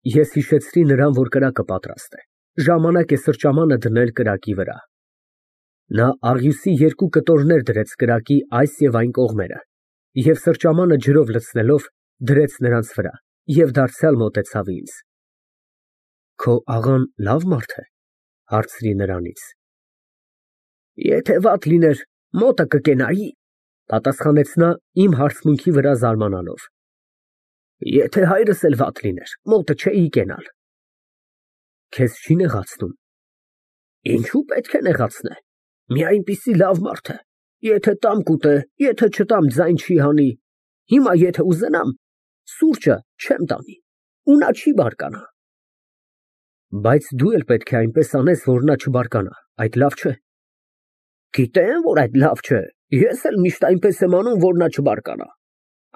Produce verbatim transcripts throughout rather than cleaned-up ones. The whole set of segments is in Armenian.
Ես հիշեցրի նրան, որ կրակը պատրաստ է, ժամանակ է սրճամանը դնել կրակի վրա։ Նա աղյուսի երկու կտորներ դրեց կրակի այս և այն կողմերը և սրճամանը ջրով լցնելով, դրեց նրանց վրա և դարձյալ մոտեցավ ինձ։ Քո աղան լավ մարդ է, հարցրի նրանից։ Եթե վատ լիներ, մոտը կկենայի, պատասխանեց նա իմ հարցմունքի վրա զարմանալով։ Եթե հայրս էլ վատ լիներ, մոտը չէի կենալ։ Քեզ չի նեղացնում։ Ինչու պետք է նեղացնե, մի այնպիսի լավ մարդ է, եթե տամ կուտե, եթե չտամ ձայն չի հանի, հիմա եթե ուզենամ, սուրճը չեմ տանի, ու նա չի բարկանա։ Բայց դու էլ պետք է այնպես անես, որ նա չբարկանա, այդ լավ չէ։ Գիտեմ, որ այդ լավ չէ, ես էլ միշտ այնպես եմ անում, որ նա չբարկանա։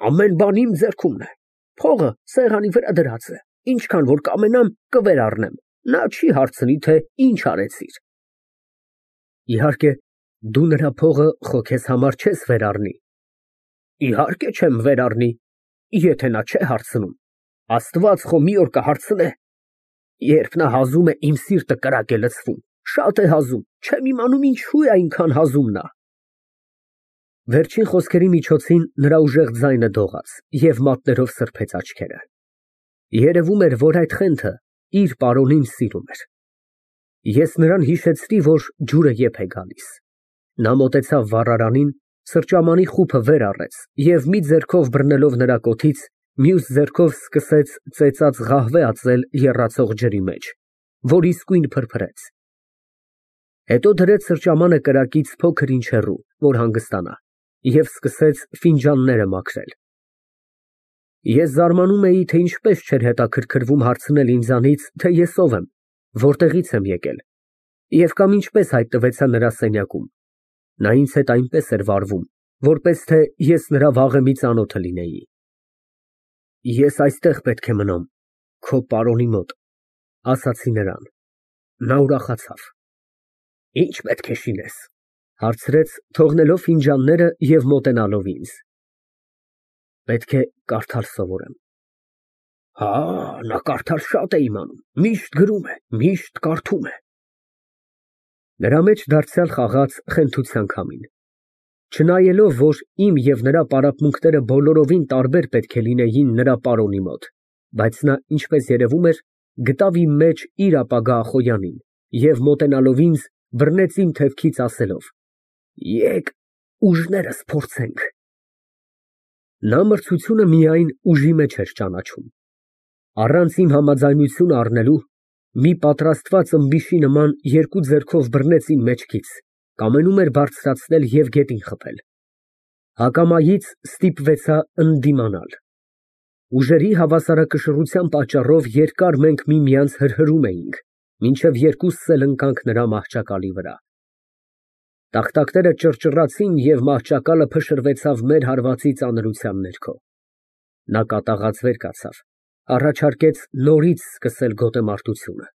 Ամեն բան իմ ձեռքումն է, փողը սեղանի վրա դրած է, ինչքան որ կամենամ կվերառնեմ, նա չի հարցնի, թե ինչ արեցիր։ Իհարկե, դու նրա փողը խո քեզ համար չես վերառնի։ Իհարկե չեմ վերառնի, եթե նա չէ հարցնում, Աստված խո մի օր կհարցնե։ Երբ նա հազում է, իմ սիրտը կրակ է լցվում, շատ է հազում, չեմ իմանում ինչու է այնքան հազում նա։ Վերջին խոսքերի միջոցին նրա ուժեղ ձայնը դողաց և մատներով սրբեց աչքերը։ Երևում էր, որ այդ խենթը իր պարոնին սիրում էր։ Ես նրան հիշեցրի, որ ջուրը եփ է գալիս։ Նա մոտեցավ վառարանին, սրճամանի խուփը վեր առեց և մի ձեռքով բռնելով նրա կոթից, մյուս ձեռքով սկսեց ծեծած ղահվե ածել եռացող ջրի մեջ, որ իսկույն փրփրեց։ Հետո դրեց սրճամանը կրակից փոքր ինչ հեռու, որ հանգստանա, և սկսեց ֆինջանները մաքրել։ Ես զարմանում էի, թե ինչպես չէր հետաքրքրվում հարցնել ինձանից, թե ես ով եմ, որտեղից եմ եկել, և կամ ինչպես հայտնվեցա նրա սենյակում։ Նա ինձ հետ այնպես էր վարվում, որպես թե ես նրա վաղեմի ծանոթը լինեի։ Ես այստեղ պետք է մնամ, քո պարոնի մոտ, ասացի նրան։ Նա ուրախացավ։ Ինչ պետք է շինես, հարցրեց, թողնելով ֆինջանները և մոտենալով ինձ։ Պետք է կարդալ սովորեմ։ Հա, նա կարդալ շատ է իմանում, միշտ գրում է, միշտ կարդում է։ Նրա մեջ դարձյալ խաղաց խենթության քամին։ Չնայելով, որ իմ և նրա պարապմունքները բոլորովին տարբեր պետք է լինեին նրա պարոնի մոտ, բայց նա, ինչպես երևում էր, գտավ իմ մեջ իր ապագա Ախոյանին և մոտենալով ինձ, բռնեց իմ թևքից ասելով. Եկ ուժներս փորձենք։ Նա մրցությունը միայն ուժի մեջ էր ճանաչում։ Առանց իմ համաձայնությունը առնելու, մի պատրաստված ըմբիշի նման երկու ձեռքով բռնեց իմ մեջքից, կամենում էր բարձրացնել և գետին խփել։ Հակամայից ստիպվեցա ընդդիմանալ։ Ուժերի հավասարակշռության պատճառով երկար մենք միմյանց հրհրում էինք, մինչև երկուսս էլ ընկանք նրա մահճակալի վրա։ Տախտակները ճռճռացին և մահճակալը փշրվեցավ մեր հարվածի ծանրության ներքո։ Նա կատաղած վեր կացավ, առաջարկեց նորից սկսել գոտեմարտությունը։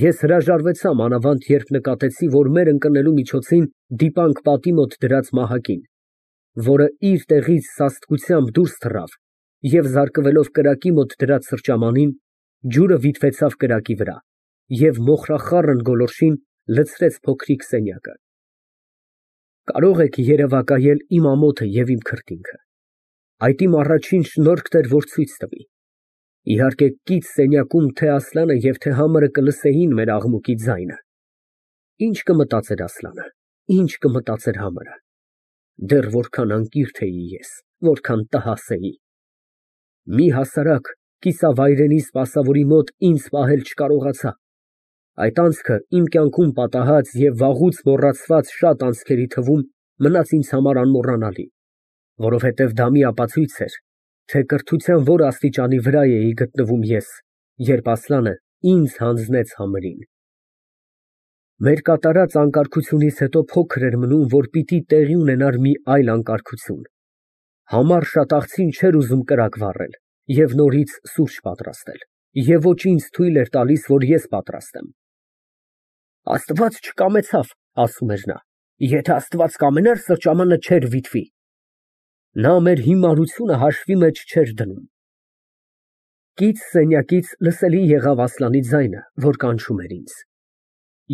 Ես հրաժարվեցա, մանավանդ երբ նկատեցի, որ մեր ընկնելու միջոցին դիպանք պատի մոտ դրած մահակին, որը իր տեղից սաստկությամբ դուրս թռավ և զարկվելով կրակի մոտ դրած սրճամանին, ջուրը վիթվեցավ կրակի վրա և մոխրախառն գոլորշին լցրեց փոքրիկ սենյակը։ Կարող եք երևակայել իմ ամոթը և իմ քրտինքը։ Այդ իմ առաջին շնորհքն էր, որ ցույց տվի։ Իհարկե, կից սենյակում թե Ասլանը և թե համարը կլսեին մեր աղմուկի ձայնը։ Ինչ կմտածեր Ասլանը, ինչ կմտածեր համարը։ Դեռ որքան անկիրք էի ես, որքան տհաս էի։ Մի հասարակ կիսավայրենի սպասավորի մոտ ինձ պահել չկարողացա։ Այդ անցքը իմ կյանքում պատահած և վաղուց մոռացված շատ անցքերի թվում մնաց ինձ համար անմոռանալի, որովհետև դա մի ապացույց էր, թե կրթության որ աստիճանի վրա էի գտնվում ես, երբ Ասլանը ինձ հանձնեց համրին։ Մեր կատարած անկարգությունից հետո փոքր էր մնում, որ պիտի տեղի ունենար մի այլ անկարգություն։ Համար շատ աղցին չէր ուզում կրակ վառել և նորից սուրճ պատրաստել, և ոչ ինձ թույլ էր տալիս, որ ես պատրաստեմ։ Աստված չկամեցավ, ասում էր նա, եթե Աստված կամենար, սրճամանը չէր վիթվի։ Նա մեր հիմարությունը հաշվի մեջ չէր դնում։ Կից սենյակից լսելի եղավ Ասլանի ձայնը, որ կանչում էր ինձ։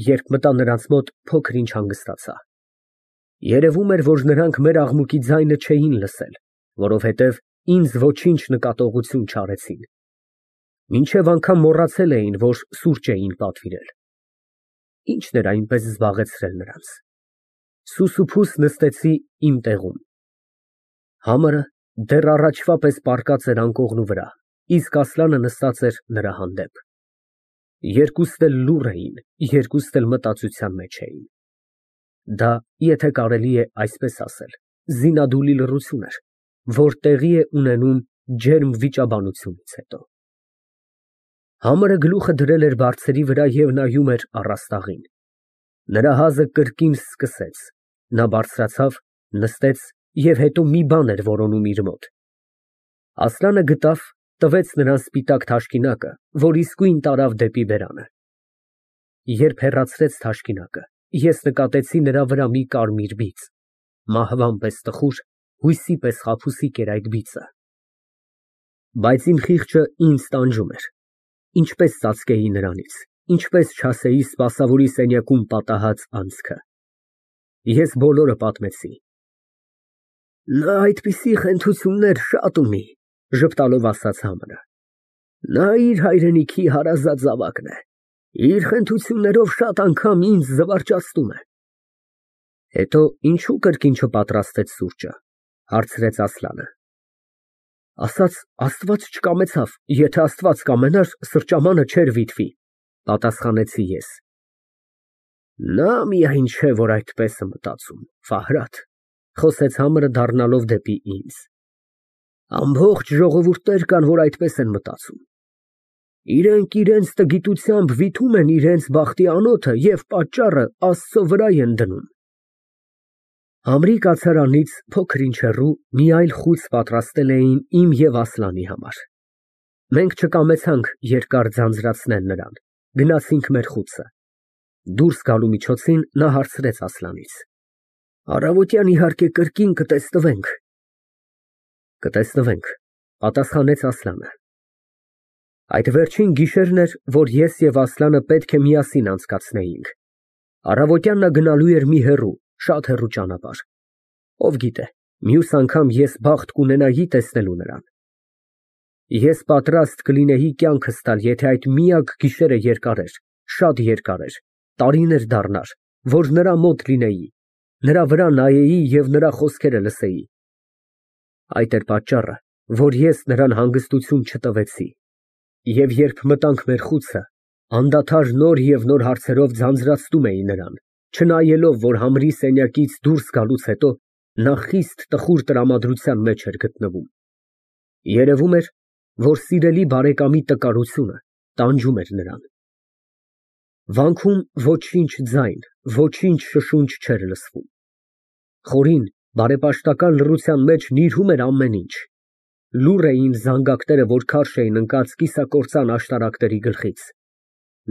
Երբ մտա նրանց մոտ, փոքր ինչ հանգստացա։ Երևում էր, որ նրանք մեր աղմուկի ձայնը չէին լսել, որովհետև ինձ ոչինչ նկատողություն չարեցին։ Մինչև անգամ մոռացել էին, որ սուրճ էին պատվիրել։ Ի՞նչն էր այնպես զբաղեցրել նրանց։ Սուսուփուս նստեցի իմ տեղում։ Համարը դեռ առաջվա պես պառկած էր անկողնու վրա, իսկ Ասլանը նստած էր նրա հանդեպ։ Երկուստ էլ լուռ էին, երկուստ էլ մտածության մեջ էին։ Դա, եթե կարելի է այսպես ասել, զինադուլի լռություն էր, որ տեղի է ունենում ջերմ վիճաբանությունից հետո։ Համարը գլուխը դրել էր բարձերի վրա և նայում էր առաստաղին։ Նրա հազը կրկին սկսեց, նա բարձրացավ, նստեց և հետո մի բան էր որոնում իր մոտ։ Ասլանը գտավ, տվեց նրան սպիտակ թաշկինակը, որ իսկույն տարավ դեպի բերանը։ Երբ հեռացրեց թաշկինակը, ես նկատեցի նրա վրա մի կարմիր բիծ, մահվան պես տխուր, հույսի պես խաբուսիկ էր այդ բիծը։ Բայց իմ խիղճը ինձ տանջում էր, ինչպես ծածկեի նրանից, ինչպես չասեի սպասավորի սենյակում պատահած անցքը։ Ես բոլորը պատմեցի։ Նա այդպիսի խենթություններ շատ ունի, ժպտալով ասաց Համարը։ Նա իր հայրենիքի հարազատ զավակն է, իր խենթություններով շատ անգամ ինձ զվարճացնում է։ Հետո ինչու կրկին չպատրաստեց սուրճը, հարցրեց Ասլանը։ Ասաց Աստված չկամեցավ, եթե Աստված կամենար, սրճամանը չէր վիթվի, պատասխանեցի ես։ Նա միայն չէ, որ այդպես է մտածում, Ֆահրադ, խոսեց Համարը դառնալով դեպի ինձ։ Ամբողջ ժողովուրդներ կան, որ այդպես են մտածում։ Իրենք իրենց տգիտությամբ վիթում են իրենց բախտի անոթը և պատճառը Աստծո վրա են դնում։ Համրի կացարանից փոքր ինչ հեռու մի այլ խուծ պատրաստել էին իմ և Ասլանի համար։ Մենք չկամեցանք երկար ձանձրացնել նրան, գնացինք մեր խուցը։ Դուրս գալու միջոցին նա հարցրեց Ասլանից. Առավոտյան իհարկե կրկին կտեսնվենք։ Կտեսնվենք, պատասխանեց Ասլանը։ Այդ վերջին գիշերն էր, որ ես և Ասլանը պետք է միասին անցկացնեինք։ Առավոտյան նա գնալու էր մի հեռու, շատ հեռու ճանապարհ։ Ով գիտե, մյուս անգամ ես բախտ կունենայի տեսնելու նրան։ Ես պատրաստ կլինեի կյանքս տալ, եթե այդ միակ գիշերը երկար էր, շատ երկար էր, տարիներ դառնար, որ նրա մոտ լինեի, նրա վրա նայեի և նրա խոսքերը լսեի։ Այդ էր պատճառը, որ ես նրան հանգստություն չտվեցի։ Եվ երբ մտանք մեր խուցը, անդադար նոր և նոր հարցերով ձանձրացնում էի նրան, չնայելով, որ Համրի սենյակից դուրս գալուց հետո նա խիստ տխուր տրամադրության մեջ էր գտնվում։ Երևում էր, որ սիրելի բարեկամի տկարությունը տանջում էր նրան։ Վանքում ոչինչ ձայն, ոչինչ շշունչ չէր լսվում։ Խորին, բարեպաշտական լռության մեջ նիրհում էր ամեն ինչ։ Լուռ էին զանգակները, որ քարշ էին ընկած կիսակործան աշտարակների գլխից։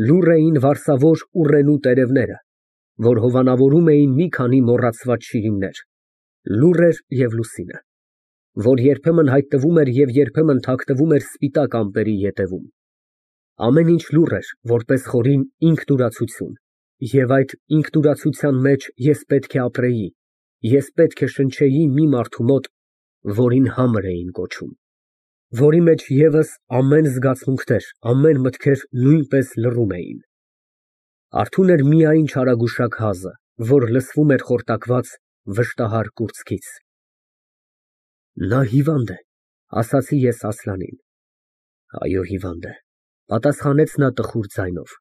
Լուռ էին վարսավոր ուռենու տերևները, որ հովանավորում էին մի քանի մոռացված շիրիմներ։ Լուռ էր և լուսինը, որ երբեմն հայտնվում էր և երբեմն թաքնվում էր սպիտակ ամպերի ետևում։ Ամեն ինչ լուռ էր, որպես խորին ինքնուրացություն, և այդ ինքնուրացության մեջ ես պետք է ապրեի, ես պետք է շնչեի մի մարդու մոտ, որին Համր էին կոչում, որի մեջ ևս ամեն զգացմունքներ, ամեն մտքեր նույնպես լռում էին։ Արթուն էր միայն չարագուշակ հազը, որ լսվում էր խորտակված վշտահար կուրծքից։ Նա հիվանդ է, ասացի ես Ասլանին։ Այո, հիվանդ է, պատասխանեց նա տխուր ձայնով։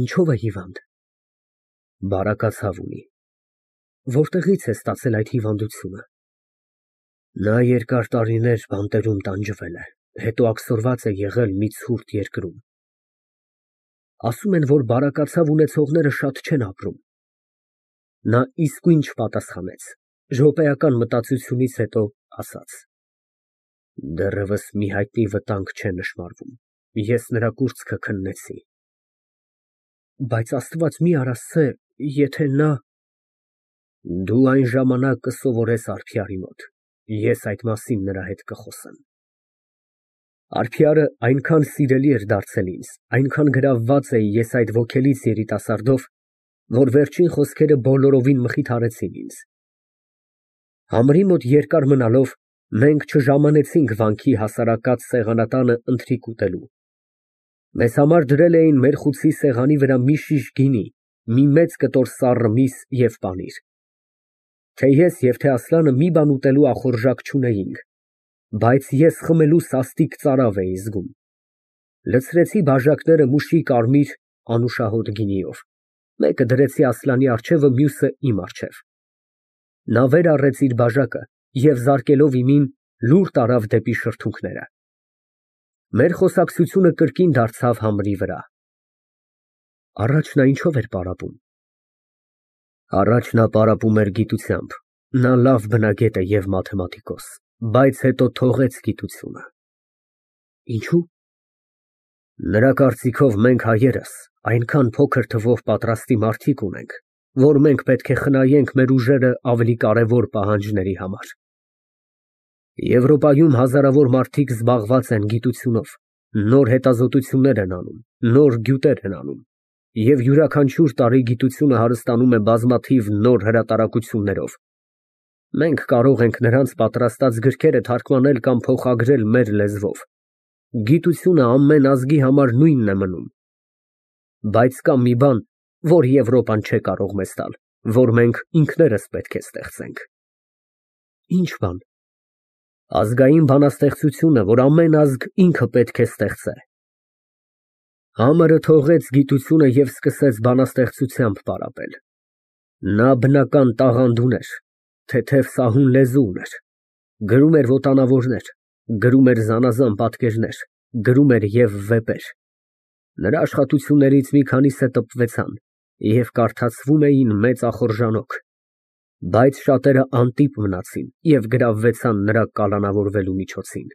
Ինչո՞վ է հիվանդ։ Բարակացավ ունի։ Որտեղից է ստացել այդ հիվանդությունը։ Նա երկար տարիներ բանտերում տանջվել է, հետո աքսորված է եղել մի ցուրտ երկրում։ Ասում են, որ բարակացավ ունեցողները շատ չեն ապրում։ Նա իսկույն չպատասխանեց, րոպեական մտածությունից հետո ասաց. Դեռևս մի հայտնի վտանգ չէ նշմարվում, ես նրա կուրծքը քննեցի։ Բայց Աստված մի արասցե, եթե նա… Դու այն ժամանակ կսովորես Արփիարի մոտ, ես այդ մասին նրա հետ կխոսեմ։ Արփիարը այնքան սիրելի էր դարձել ինձ, այնքան գրավված էի ես այդ ոգելից երիտասարդով, որ վերջին խոսքերը բոլորովին մխիթարեցին ինձ։ Համրի մոտ երկար մնալով մենք չժամանեցինք վանքի հասարակած սեղանատանը ընթրիք ուտելու։ Մեզ համար դրել էին մեր խուցի սեղանի վրա մի շիշ գինի, մի մեծ կտոր սառը միս և պանիր։ Թե ես և թե Ասլանը մի բան ուտելու ախորժակ չունեինք, բայց ես խմելու սաստիկ ծարավ էի զգում։ Լցրեցի բաժակները մուշի կարմիր անուշահոտ գինիով, մեկը դրեցի Ասլանի առջևը, մյուսը իմ առջև։ Նա վեր առեց իր բաժակը և զարկելով իմին, լուր տարավ դեպի շրթունքները։ Մեր խոսակցությունը կրկին դարձավ համրի վրա։ Առաջ նա ինչո՞վ էր պարապում։ Առաջ նա պարապում էր գիտությամբ, նա լավ բնագետ է և մաթեմատիկոս, բայց հետո թողեց գիտությունը։ Ինչո՞ւ։ Նրա կարծիքով մենք հայերս այնքան փոքր թվով պատրաստի մարդիկ ունենք, որ մենք պետք է խնայենք մեր ուժերը ավելի կարևոր պահանջների համար։ Եվրոպայում հազարավոր մարդիկ զբաղված են գիտությունով, նոր հետազոտություններ են անում, նոր գյուտեր են անում, և յուրաքանչյուր տարի գիտությունը հարստանում է բազմաթիվ նոր հրատարակություններով։ Մենք կարող ենք նրանց պատրաստած գրքերը թարգմանել կամ փոխագրել մեր լեզվով։ Գիտությունը ամեն ազգի համար նույնն է մնում։ Բայց կա մի բան, որ Եվրոպան չէ կարող մեզ տալ, որ մենք ինքներս պետք է ստեղծենք։ Ի՞նչ բան։ Ազգային բանաստեղծությունը, որ ամեն ազգ ինքը պետք է ստեղծե։ Համարը թողեց գիտությունը և սկսեց բանաստեղծությամբ պարապել։ Նա բնական տաղանդ ուներ, թեթև սահուն լեզու ուներ, գրում էր ոտանավորներ, գրում էր զանազան պատկերներ, գրում էր և վեպեր։ Նրա աշխատություններից մի քանիսը տպվեցան և կարդացվում էին մեծ ախորժանոք, բայց շատերը անտիպ մնացին և գրավվեցան նրա կալանավորվելու միջոցին։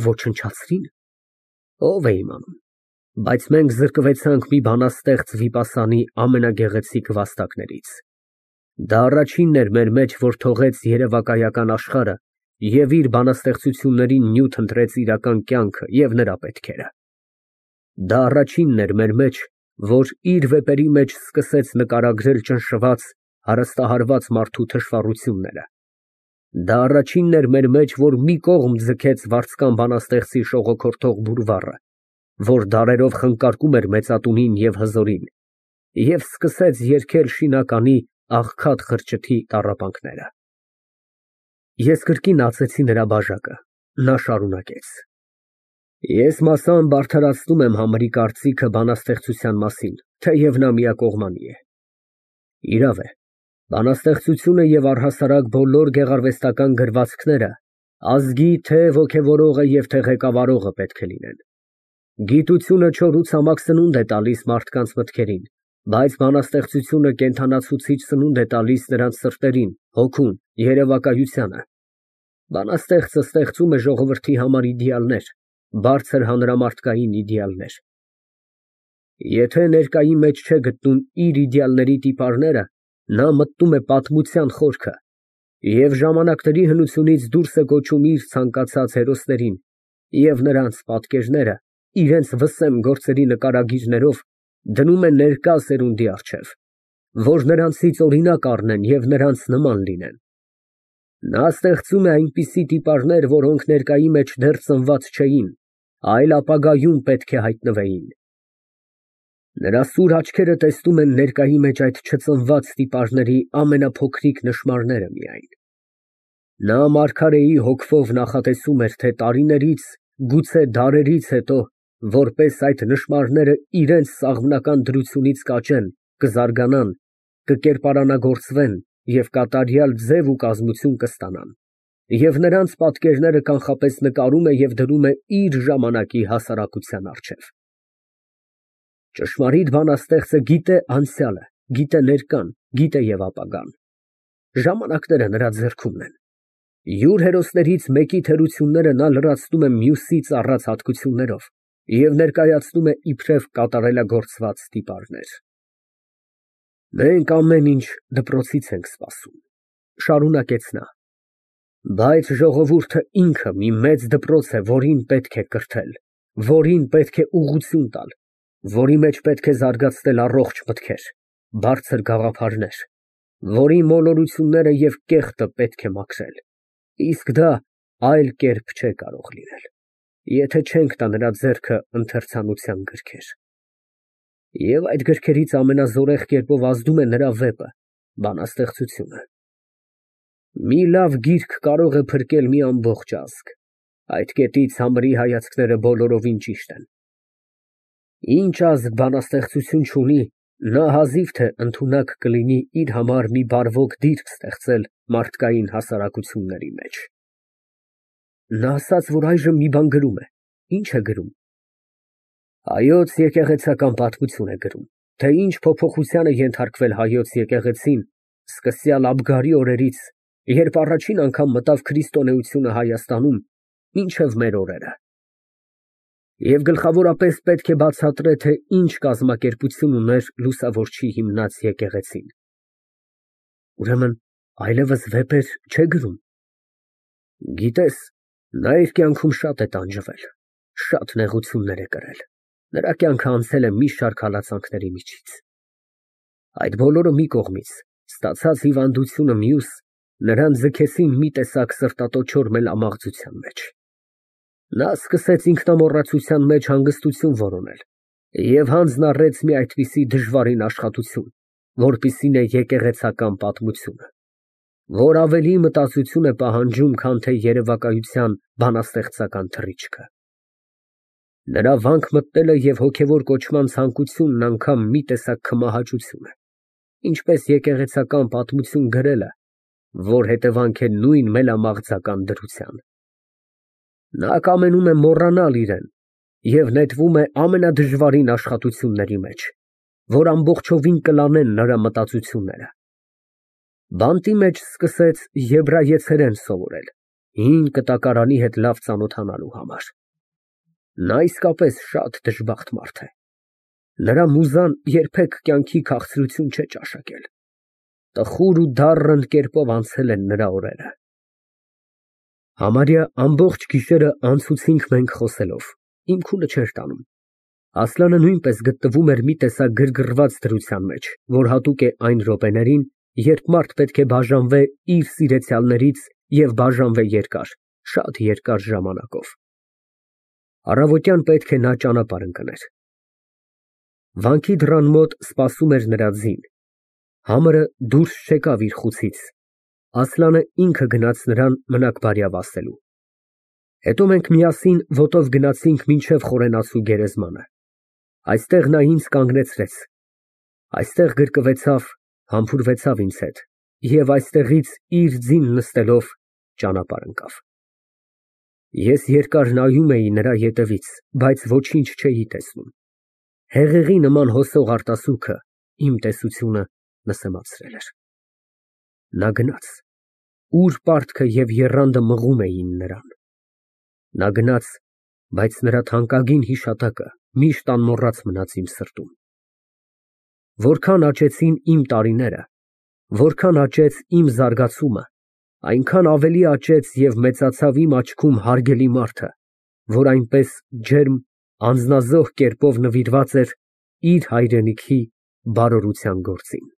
Ոչնչացրի՞ն։ Ով է իմանում, բայց մենք զրկվեցանք մի բանաստեղծ Վիպասանի ամենագեղեցիկ վաստակներից։ Դա առաջինն էր մեր մեջ, որ թողեց երևակայական աշխարհը և իր բանաստեղծություններին նյութ ընտրեց իրական կյանքը և նրա պետքերը։ Դա առաջինն էր մեր մեջ, որ իր վեպերի մեջ սկսեց նկարագրել ճնշված, հարստահարված մարդու թշվառությունները։ Դա առաջինն էր մեր մեջ, որ մի կողմ ձգեց վարձկան բանաստեղծի շողոքորթող բուրվառը, որ դարերով խնկարկում էր մեծատունին և հզորին, և սկսեց երգել շինականի աղքատ խրճիթի տառապանքները։ Ես կրկին ածեցի նրա բաժակը, նա շարունակեց. Ես մասամբ արդարացնում եմ Համրի կարծիքը բանաստեղծության մասին, թեև նա միակողմանի է։ Իրավ է, բանաստեղծությունը և առհասարակ բոլոր գեղարվեստական գրվածքները ազգի թե ոգևորողը և թե ղեկավարողը պետք է լինեն։ Գիտությունը չոր ու ցամաք սնունդ է տալիս մարդկանց մտքերին, բայց բանաստեղծությունը կենդանացուցիչ սնունդ է տալիս նրանց սրտերին, հոգուն, երևակայությանը։ Բանաստեղծը ստեղծում է ժողովրդի համար իդեալներ, բարձր հանրամարտկային իդեալներ։ Եթե ներկայի մեջ չէ գտնում իր իդեալների տիպարները, նա մտնում է պատմության խորքը և ժամանակների հնությունից դուրս է կոչում իր ցանկացած հերոսներին և նրանց պատկերները իրենց վսեմ գործերի նկարագիրներով դնում է ներկա սերունդի առջև, որ նրանցից օրինակ առնեն և նրանց նման լինեն։ Նա ստեղծում է այնպիսի տիպարներ, որոնք ներկայի մեջ դեռ ծնված չէին, այլ ապագայում պետք է հայտնվեին։ Նրա սուր աչքերը տեսնում են ներկայի մեջ այդ չծնված տիպարների ամենափոքրիկ նշմարները միայն։ Նա մարգարեի հոգվով նախատեսում էր, թե տարիներից, գուցե դարերից հետո, որպես այդ նշմարները իրենց սաղմնական դրությունից կաճեն, կզարգանան, կկերպարանագործվեն և կատարյալ ձև ու կազմություն կստանան, և նրանց պատկերները կանխապես նկարում է և դնում է իր ժամանակի հասարակության առջև։ Ճշմարիտ բանաստեղծը գիտե անցյալը, գիտե ներկան, գիտե և ապագան։ Ժամանակները նրա ձեռքումն են։ Յուր հերոսներից մեկի թերությունները նա լրացնում է մյուսի ծառած հատկություններով և ներկայացնում է իբրև կատարելագործված տիպարներ։ Մենք ամեն ինչ դպրոցից ենք սպասում, շարունակեց նա։ Բայց ժողովուրդը ինքը մի մեծ դպրոց է, որին պետք է կրթել, որին պետք է ուղղություն տալ, որի մեջ պետք է զարգացնել առողջ մտքեր, բարձր գաղափարներ, որի մոլորությունները և կեղտը պետք է մաքրել, իսկ դա այլ կերպ չէ կարող լինել, եթե չենք տա նրա ձեռքը ընթերցանության գրքեր։ Եվ այդ գրքերից ամենազորեղ կերպով ազդում է նրա վեպը, բանաստեղծությունը։ Մի լավ գիրք կարող է փրկել մի ամբողջ ազգ, այդ կետից համրի հայացքները բոլորովին ճիշտ են։ Ինչ ազգ բանաստեղծություն չունի, նա հազիվ թե ընդունակ կլինի իր համար մի բարվոք դիրք ստեղծել մարդկային հասարակությունների մեջ։ Նա ասաց, որ այժմ մի բան գրում է, ի՞նչ է գրում։ Հայոց եկեղեցական պատմություն է գրում, թե ինչ փոփոխության է ենթարկվել հայոց եկեղեցին սկսյալ Աբգարի օրերից, երբ առաջին անգամ մտավ քրիստոնեությունը Հայաստանում, մինչև մեր օրերը։ Եվ գլխավորապես պետք է բացատրե, թե ինչ կազմակերպություն ուներ լուսավորչի հիմնած եկեղեցին։ Ուրեմն այլևս վեպեր չէ գրում։ Գիտես, նա իր կյանքում շատ է տանջվել, շատ նեղություններ է կրել, նրա կյանքը անցել է մի շարք հալածանքների միջից։ Այդ բոլորը մի կողմից, ստացած հիվանդությունը մյուս, նրան ձգեցին մի տեսակ սրտատոչոր մելամաղձության մեջ։ Նա սկսեց ինքնամոռացության մեջ հանգստություն որոնել և հանձն առեց մի այդպիսի դժվարին աշխատություն, որպիսին է եկեղեցական պատմությունը, որ ավելի մտածություն է պահանջում, քան թե երևակայության բանաստեղծական թռիչքը։ Նրա վանք մտնելը և հոգևոր կոչման ցանկությունն անգամ մի տեսակ քմահաճություն է, ինչպես եկեղեցական պատմություն գրելը, որ հետևանք է նույն մելամաղձական դրության։ Նա կամենում է մոռանալ իրեն և նետվում է ամենադժվարին աշխատությունների մեջ, որ ամբողջովին կլանեն նրա մտածությունները։ Բանտի մեջ սկսեց եբրայեցերեն սովորել, հին կտակարանի հետ լավ ծանոթանալու համար։ Նա իսկապես շատ դժբախտ մարդ է։ Նրա մուզան երբեք կյանքի քաղցրություն չէ ճաշակել։ Տխուր ու դառն կերպով անցել են նրա օրերը։ Համարյա ամբողջ գիշերը անցուցինք մենք խոսելով, իմ քունը չէր տանում։ Ասլանը նույնպես գտնվում էր մի տեսակ գրգռված դրության մեջ, որ հատուկ է այն րոպեներին, երբ մարդ պետք է բաժանվե իր սիրեցյալներից և բաժանվե երկար, շատ երկար ժամանակով։ Առավոտյան պետք է նա ճանապարհ ընկներ։ Վանքի դռան մոտ սպասում էր նրա ձին։ Համարը դուրս չեկավ իր խուցից։ Ասլանը ինքը գնաց նրան մնաք բարյավ ասելու։ Հետո մենք միասին ոտով գնացինք մինչև խորենացու գերեզմանը։ Այստեղ նա ինձ կանգնեցրեց։ Այստեղ գրկվեցավ, համբուրվեցավ ինձ հետ և այստեղից իր ձին նստելով ճանապարհ ընկավ։ Ես երկար նայում էի նրա ետևից, բայց ոչինչ չէի տեսնում։ Հեղեղի նման հոսող արտասուքը իմ տեսությունը նսեմացրել էր։ Նա գնաց, ուր պարտքը և եռանդը մղում էին նրան։ Նա գնաց, բայց նրա թանկագին հիշատակը միշտ անմոռաց մնաց իմ սրտում։ Որքան աճեցին իմ տարիները, որքան աճեց իմ զարգացումը, այնքան ավելի աճեց և մեծացավ իմ աչքում հարգելի մարդը, որ այնպես ջերմ, անձնազոհ կերպով նվիրված էր իր հայրենիքի բարօրության գործին։